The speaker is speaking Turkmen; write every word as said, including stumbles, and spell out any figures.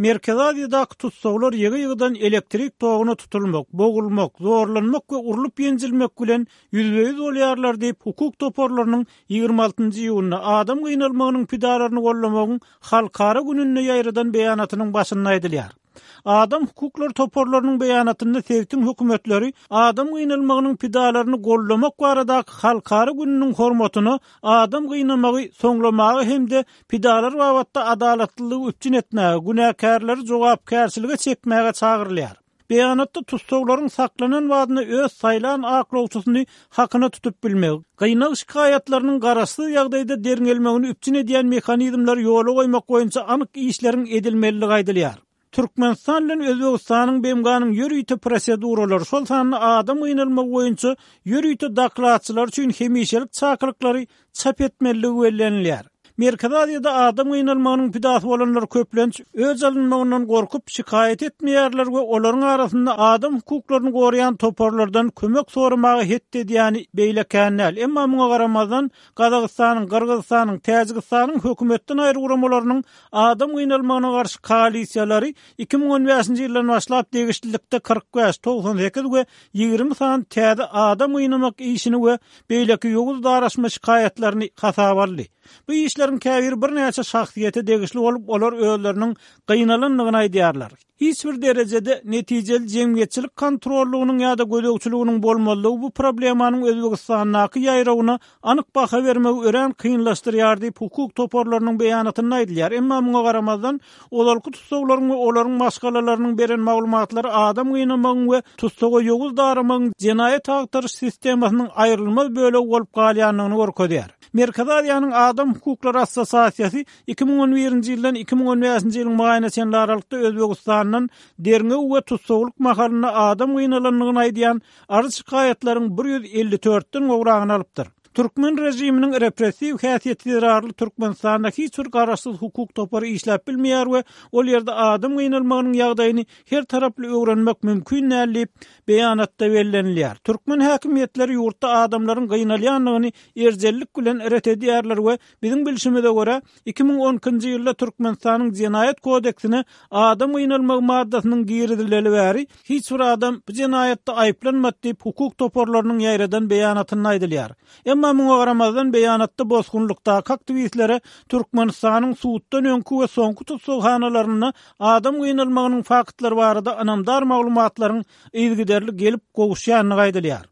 Merkezi Aziýadaky tussaglar ýygy-ýygydan elektrik toguna tutulmak, bogulmak, zorlanmak we urlup ýenjilmek bilen ýüzbe-ýüz bolýarlar diýip, hukuk toparlarynyň ýigrimi altynjy iýunda adam gynalmagynyň pidalaryny goldamagyň halkara gününde ýaýradan beýanatynyň başynda aýdylýar. Adam hukuklary toparlarynyň beýanatynda sebitiň hökümetleri adam gynalmagynyň pidalaryny goldamak baradaky halkara gününiň hormatyna adam gynamagy soňlamaga hem-de pidalar babatda adalatlylygy üpjün etmäge, günäkärleri jogapkärçilige çekmäge çagyrylýar. Beýanatda tussaglaryň saklanan badyna öz saýlan aklawçysyny hakyna tutup bilmegi, gynag şikaýatlarynyň garaşsyz ýagdaýda derňelmegini üpjün edýän mehanizmleri ýola goýmak boýunça anyk işleriň edilmelidigi aýdylýar. Türkmenistan bilen Özbegistanyň B M G-nyň ýörite proseduralary, şol sanda adam gynalmagy boýunça ýörite dokladçylar üçin hemişelik çakylyklary çap etmelidigi bellenilýär. Merkezi Aziýada adam gynalmagynyň pidasy bolanlar köplenç öz alynmagyndan gorkup şikaýat etmeýärler we olaryň arasynda adam hukuklaryny goraýan toparlardan kömek soramaga het edýäni beýle kän däl. Emma muňa garamazdan Gazagystanyň, Gyrgyzystanyň, Täjigistanyň hökümetden aýry guramalarynyň adam gynalmagyna garşy koalisiýalary iki müň on bäşinji ýyldan başlap degişlilikde kyrk bäş, togsan sekiz we ýigrimi sany täze adam gynamak işini we beýleki ýowuz daraşma şikaýatlaryny hasaba aldy. Bu işleriň käbiri birnäçe şahsyýete degişli bolup, olar özleriniň gynalandygyny aýdýarlar. Hiç bir derejede netijeli jemgyýetçilik kontrollugynyň ýa-da gözegçiliginiň bolmazlygy bu problemanyň Özbegistandaky ýaýrawyna anyk baha bermegi örän kynlaşdyrýar diýip hukuk toparlarynyň beýanatynda aýdylýar. Emma muňa garamazdan ozalky tussaglaryň we olaryň maşgalalarynyň beren maglumatlary adam gynamagyň we tussaga ýowuz daramagyň jenaýat agtaryş sistemasynyň aýrylmaz bölegi bolup galýandygyny görkezýär. Merkezi Aziýanyň Adam Hukuklary Assosiasiýasy iki müň on birinji ýyldan iki müň on bäşinji ýylyň maýyna çenli aralykda Özbegistandan derňew we tussaglyk mahalynda adam gynalandygyny aýdýan arz şikaýatlaryň bir ýüz elli dörtden gowragyny alypdyr. Türkmen rejiminiň repressiw häsiýeti zerarly Türkmenistanda hiç bir garaşsyz hukuk topary işläp bilmeýär we ol ýerde adam gynalmagynyň ýagdaýyny her taraply öwrenmek mümkin däl diýip beýanatda bellenilýär. Türkmen häkimiýetleri ýurtda adamlaryň gynalýandygyny erjellik bilen ret edýärler we biziň bilşimize görä iki müň on ikinji ýylda Türkmenistanyň jenaýat kodeksine adam gynalmagy maddasynyň girizileli bäri hiç bir adam bu jenaýatda aýyplanmady diýip hukuk toparlarynyň ýaýradan beýanatynda aýdylýar. Emma muňa garamazdan beýanatda bosgunlykdaky aktiwistlere Türkmenistanyň suddan öňki we soňky tussaghanalarynda adam gynalmagynyň faktlary barada ynamdar maglumatlaryň yzygiderli gelip gowuşýandygy aýdylýar.